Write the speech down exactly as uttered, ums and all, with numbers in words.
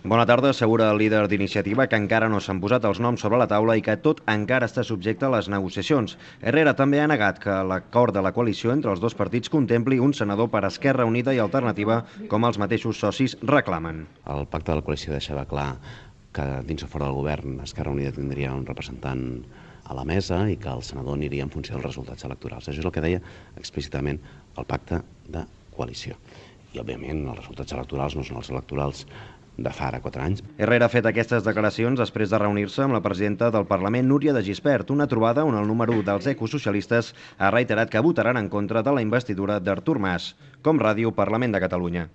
Bona tarda, assegura el líder d'Iniciativa que encara no s'han posat els noms sobre la taula i que tot encara està subjecte a les negociacions. Herrera també ha negat que l'acord de la coalició entre els dos partits contempli un senador per Esquerra Unida i Alternativa, com els mateixos socis reclamen. El pacte de la coalició deixava clar que dins o fora del govern Esquerra Unida tindria un representant a la mesa i que el senador aniria en funció dels resultats electorals. Això és el que deia explícitament el pacte de coalició. I, òbviament, els resultats electorals no són els electorals de fa ara quatre anys. Herrera ha fet aquestes declaracions després de reunir-se amb la presidenta del Parlament, Núria de Gispert, una trobada on el número u dels ecosocialistes ha reiterat que votaran en contra de la investidura d'Artur Mas. Com Ràdio, Parlament de Catalunya.